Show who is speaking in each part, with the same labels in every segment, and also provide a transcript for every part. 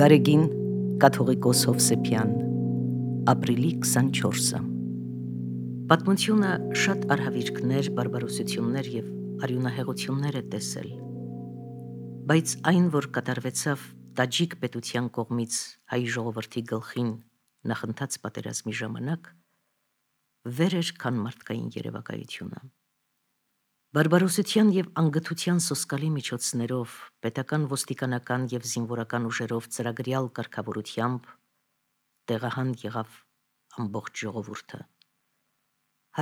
Speaker 1: Գարեգին կաթողիկոս Հովսեփյան, ապրիլի 24-ը։ Պատմությունը շատ արհավիրքներ, բարբարոսություններ և արյունահեղություններ է տեսել, բայց այն, որ կատարվեցավ Տաջիկ պետության կողմից հայ ժողովրդի գլխին նախընթաց պատերազմի ժամանակ, վեր էր, քան մարդկային երևակայությունը։ Բարբարոսության և անգթության սոսկալի միջոցներով, պետական, ոստիկանական և զինվորական ուժերով ծրագրյալ կարգավորությամբ տեղահան եղավ ամբողջ ժողովուրդը։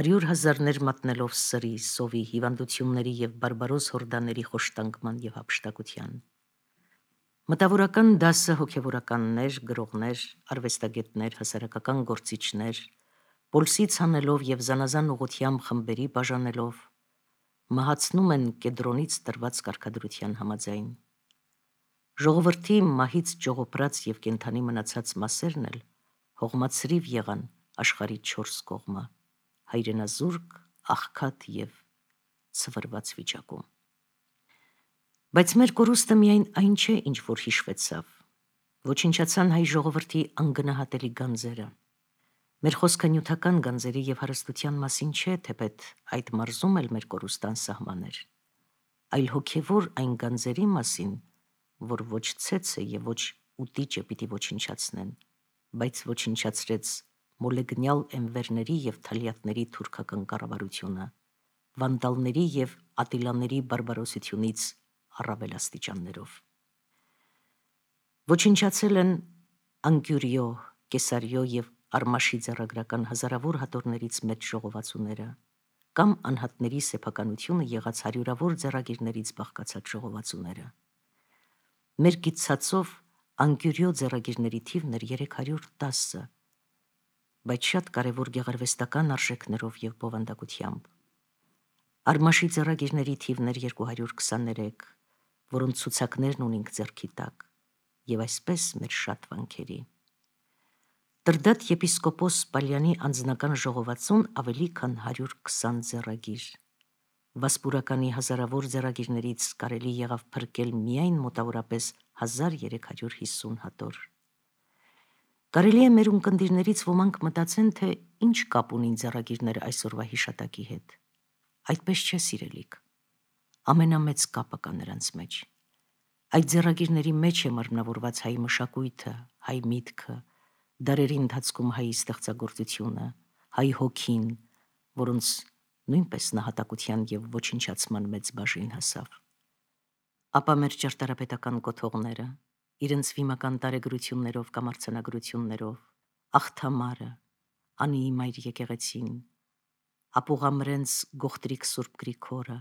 Speaker 1: 100,000-ներ մատնելով սրի, սովի, հիվանդությունների և բարբարոս հորդաների խոշտանգման և հափշտակության։ Մտավորական դասը հոգևորականներ, գրողներ, արվեստագետներ, հասարակական գործիչներ, պոլսից հանելով և զանազան ուղղությամբ խմբերի բաժանելով, մահացնում են կեդրոնից տրված կարգադրության համաձայն։ Ժողովրդի մահից ճողոպրած և կենդանի մնացած մասերն էլ հողմացրիվ եղան աշխարհի 4 կողմը, հայրենազուրկ, աղքատ և ցվրված վիճակում։ Բայց մեր կորուստը միայն այն չէ, ինչ որ հիշվեցավ, ոչնչացան հայ ժողովրդի անգնահատելի գանձերը։ Մեր խոսքը նյութական գանձերի և հարստության մասին չէ, թեպետ այդ մարզում էլ մեր կորուստը անսահման էր, այլ հոգևոր այն գանձերի մասին, որ ոչ ցեցը և ոչ ուտիճը պիտի ոչնչացնեն, բայց ոչնչացրեց մոլեգնյալ էնվերների և թալյատների թուրքական կառավարությունը, վանդալների և ատիլաների բարբարոսությունից առավել աստիճաններով։ Ոչնչացել են Անկյուրիո, Կեսարիո և Արմաշի ձեռագրական հազարավոր հատորներից մեծ ժողովածուները, կամ անհատների սեփականությունը եղած հարյուրավոր ձեռագիրներից բաղկացած ժողովածուները։ Մեր կիտսացով Անկյուրիո ձեռագիրների թիվն էր 310, բայց շատ կարևոր գեղարվեստական արժեքներով և բովանդակությամբ։ Արմաշի ձեռագիրների թիվն էր 223, որոնց ցուցակներն ունենք ձեռքի տակ, և այսպես մեր շատ վանքերի։ Տրդատ եպիսկոպոս Պալյանի անձնական ժողովածուն ավելի քան 120 ձեռագիր։ Վասպուրականի հազարավոր ձեռագիրներից կարելի եղավ փրկել միայն մոտավորապես 1350 հատոր։ Կարելի է մեր ունկնդիրներից ոմանք մտածեն, թե ինչ կապ ունին ձեռագիրները այսօրվա հիշատակի հետ։ Այդպես չէ, սիրելիք, ամենամեծ կապը կա նրանց մեջ։ Այդ ձեռագիրների մեջ է մարմնավորված հայ մշակույթը, հայ միտքը, դարերի ընթացքում հայի ստեղծագործությունը, հայ հոգին, որոնց նույնպես նահատակության և ոչնչացման մեծ բաժին հասավ։ Ապա մեր ճարտարապետական կոթողները, իրենց վիմական տարեգրություններով կամ արձանագրություններով, Աղթամարը, Անիի մայր եկեղեցին, Ապուղամրենց Գողտրիկ Սուրբ Գրիգորը,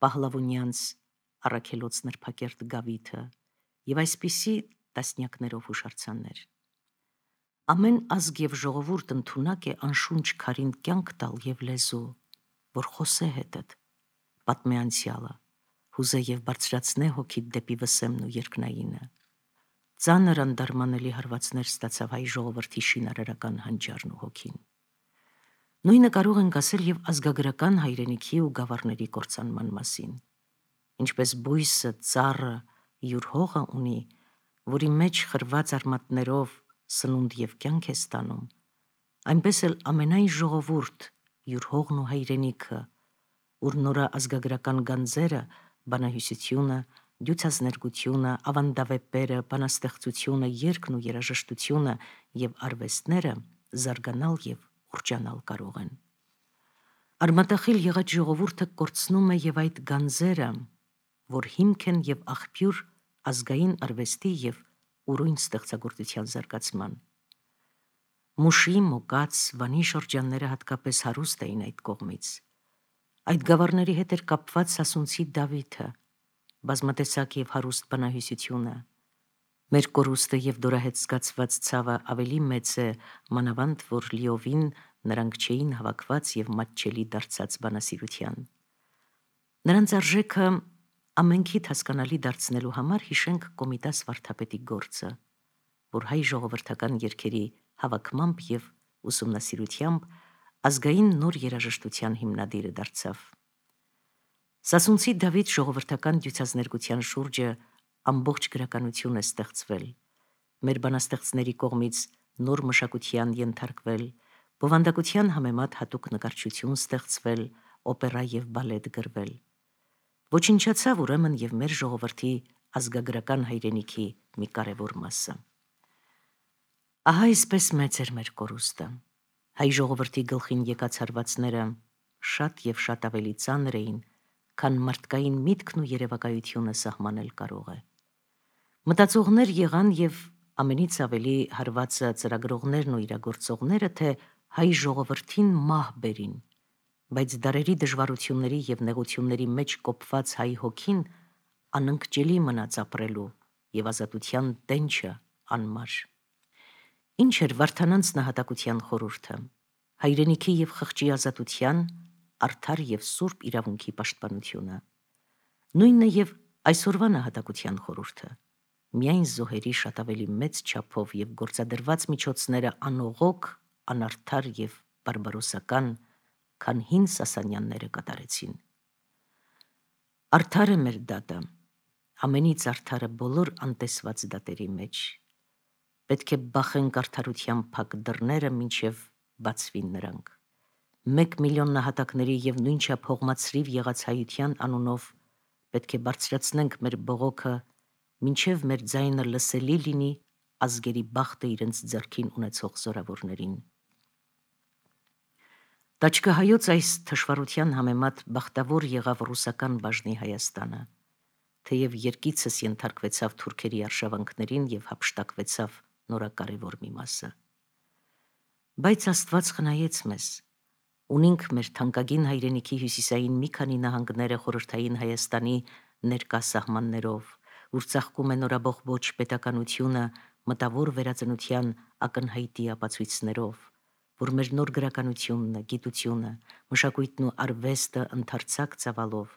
Speaker 1: Պահլավունյանց Առաքելոց նրբակերտ Գավիթը և այսպիսի տասնյակներով հուշարձաններ։ Ամեն ազգ և ժողովուրդ ընդունակ է անշունչ քարին կյանք տալ և լեզու, որ խոսե հետդ, պատմե անցյալը, հուզե և բարձրացնե հոգիդ դեպի վսեմն ու երկնայինը։ Ծանր անդարմանելի հարվածներ ստացավ հայ ժողովրդի շինարարական հանճարն ու հոգին։ Նույնը կարող ենք ասել և ազգագրական հայրենիքի ու գավառների կործանման մասին։ Ինչպես բույսը, ծառը յուր հողը ունի, որի մեջ խրված արմատներով սնունդ և կյանք է ստանում, այնպես էլ ամենայն ժողովուրդ յուր հողն ու հայրենիքը, ուր նորաազգագրական գանձերը, բանահյուսությունը, դյուցազներգությունը, ավանդավեպերը, բանաստեղծությունը, երգն ու երաժշտությունը և արվեստները զարգանալ և ուռճանալ կարող են։ Արմատախիլ եղած ժողովուրդը կորցնում է և այդ գանձերը, որ հիմք են և աղբյուր ազգային արվեստի և ուրույն ստեղծագործության զարգացման։ Մուշի, Մոկաց, Վանի շրջանները հատկապես հարուստ էին այդ կողմից։ Այդ գավառների հետ էր կապված Սասունցի Դավիթը, բազմատեսակ և հարուստ բանահյուսությունը։ Մեր կորուստը և դորահետ զգացված ցավը ավելի մեծ է, մանավանդ որ լիովին նրանք չէին հավաքված և մատչելի դարձած բանասիրության։ Նրանց արժեքը ամենքիդ հասկանալի դարձնելու համար հիշենք Կոմիտաս վարդապետի գործը, որ հայ ժողովրդական երգերի հավաքմամբ և ուսումնասիրությամբ ազգային նոր երաժշտության հիմնադիրը դարձավ։ Սասունցի Դավիթ ժողովրդական դյուցազներգության շուրջը ամբողջ գրականություն է ստեղծվել, մեր բանաստեղծների կողմից նոր մշակության ենթարկվել, բովանդակության համեմատ հատուկ նկարչություն ստեղծվել, օպերա և բալետ գրվել։ Ոչնչացավ ուրեմն և մեր ժողովրդի ազգագրական հայրենիքի մի կարևոր մասը։ Ահա այսպես մեծ էր մեր կորուստը։ Հայ ժողովրդի գլխին եկած հարվածները շատ և շատ ավելի ծանր էին, քան մարդկային միտքն ու երևակայությունը սահմանել կարող է։ Մտածողներ եղան և ամենից ավելի հարվածը ծրագրողներն ու իրագործողները, թե հայ ժողովրդին մահ բերին, բայց դարերի դժվարությունների և նեղությունների մեջ կոփված հայ հոգին անընկճելի մնաց ապրելու և ազատության տենչը անմար։ Ինչ էր Վարդանանց նահատակության խորհուրդը։ Հայրենիքի և խղճի ազատության, արդար և սուրբ իրավունքի պաշտպանությունը։ Նույնն է և այսօրվա նահատակության խորհուրդը։ Միայն զոհերի շատ ավելի մեծ չափով և գործադրված միջոցները անողոք, անարդար և բարբարոսական, քան հին Սասանյանները կատարեցին։ Արդար է մեր դատը, ամենից արդարը բոլոր անտեսված դատերի մեջ։ Պետք է բախենք արդարության փակ դռները, մինչև բացվին նրանք։ 1 միլիոն նահատակների և նույնչափ հողմացրիվ եղած հայության անունով պետք է բարձրացնենք մեր բողոքը, մինչև մեր ձայնը լսելի լինի ազգերի բախտը իրենց ձեռքին ունեցող զորավորներին։ Տաճկահայոց այս թշվառության համեմատ բախտավոր եղավ ռուսական բաժնի Հայաստանը, թեև երկիցս ենթարկվեցավ թուրքերի արշավանքներին և հափշտակվեցավ նորակարևոր մի մասը։ Բայց Աստված խնայեց մեզ, ունենք մեր թանկագին հայրենիքի հյուսիսային մի քանի նահանգները խորհրդային Հայաստանի ներկա սահմաններով, ուր ծաղկում է նորաբողբոջ պետականությունը մտավոր վերածնության ակնհայտի ապացույցներով, որ մեր նոր գրականությունը, գիտությունը, մշակույթն ու արվեստը ընդարձակ ծավալով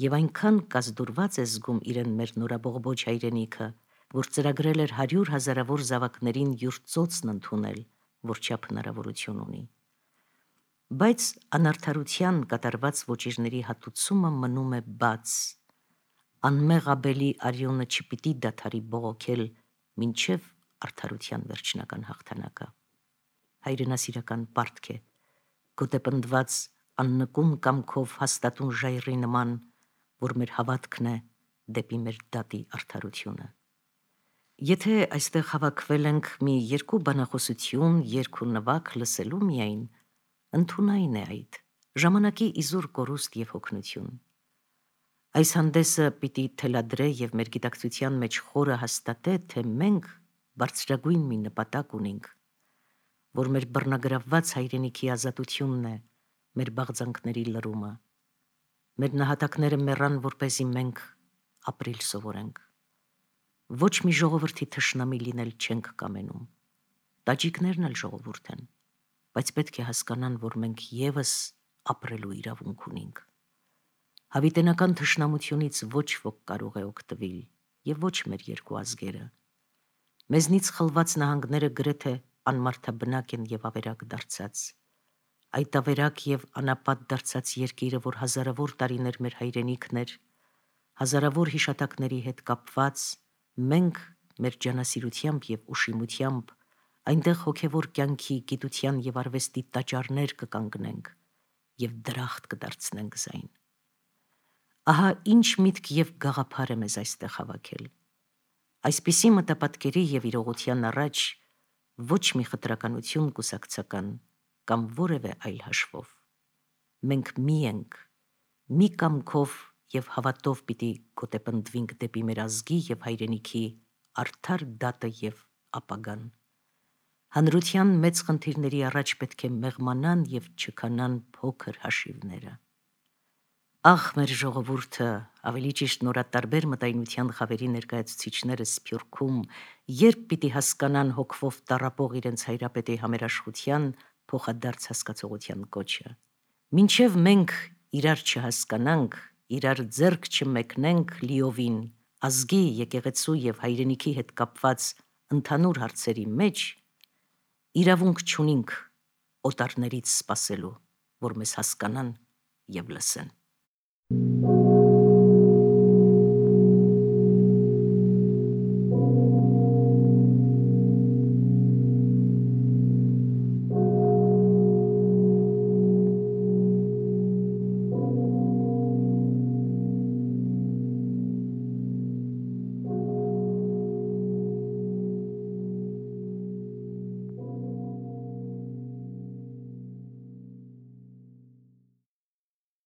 Speaker 1: և այնքան կազդուրված է զգում իրեն մեր նորաբողբոջ հայրենիքը, որ ծրագրել էր 100 հազարավոր զավակներին յուր ծոցն ընդունել, որչափ հնարավորություն ունի։ Բայց անարդարության կատարված ոճիրների հատուցումը մնում է բաց, անմեղ Աբելի արյունը չպիտի դադարի բողոքել մինչև արդարության վերջնական հաղթանակը։ Հայրենասիրական պարտք է, գոտեպնդված աննկուն կամքով հաստատուն ժայռի նման, որ մեր հավատքն է դեպի մեր դատի արդարությունը։ Եթե այստեղ հավաքվել ենք մի երկու բանախոսություն, երգ ու նվագ լսելու միայն, ընդունայն է այդ, ժամանակի իզուր կորուստ և հոգնություն։ Այս հանդեսը պիտի թելադրե և մեր գիտակցության մեջ խորը հաստատե, թե մենք բարձրագույն մի նպատակ ունենք, որ մեր բռնագրավված հայրենիքի ազատությունն է, մեր բաղձանքների լրումը։ Մեր նահատակները մեռան, որպեսզի մենք ապրիլ սովորենք։ Ոչ մի ժողովրդի թշնամի լինել չենք կամենում։ Տաջիկներն էլ ժողովուրդ են, բայց պետք է հասկանան, որ մենք ևս ապրելու իրավունք ունենք։ Հավիտենական թշնամությունից ոչ ոք կարող է օգտվել, և ոչ մեր երկու ազգերը։ Մեզնից խլված նահանգները գրեթե անմարդաբնակ են և ավերակ դարձած։ Այդ ավերակ և անապատ դարձած երկիրը, որ հազարավոր տարիներ մեր հայրենիքն էր, հազարավոր հիշատակների հետ կապված, մենք մեր ջանասիրությամբ և ուշիմությամբ այնտեղ հոգևոր կյանքի, գիտության և արվեստի տաճարներ կկանգնենք և դրախտ կդարձնենք զայն։ Ահա ինչ միտք և գաղափար է մեզ այստեղ հավաքել։ Այսպիսի մտապատկերի և իրողության առաջ ոչ մի խտրականություն կուսակցական կամ որևէ այլ հաշվով։ Մենք մի ենք, մի կամքով և հավատով պիտի գոտեպնդվենք դեպի մեր ազգի և հայրենիքի արդար դատը և ապագան։ Հանրության մեծ խնդիրների առաջ պետք է մեղմանան և չքանան փոքր հաշիվները։ Ախ, մեր ժողովուրդը, ավելի ճիշտ նորատարբեր մտայնության խավերի ներկայացուցիչները Սփյուռքում, երբ պիտի հասկանան հոգվով տառապող իրենց հայրապետի համերաշխության փոխադարձ հասկացողության կոչը։ Մինչև մենք իրար չհասկանանք, իրար ձեռք չմեկնենք լիովին ազգի, եկեղեցու և հայրենիքի հետ կապված ընդհանուր հարցերի մեջ, իրավունք չունենք օտարներից սպասելու, որ մեզ հասկանան և լսեն։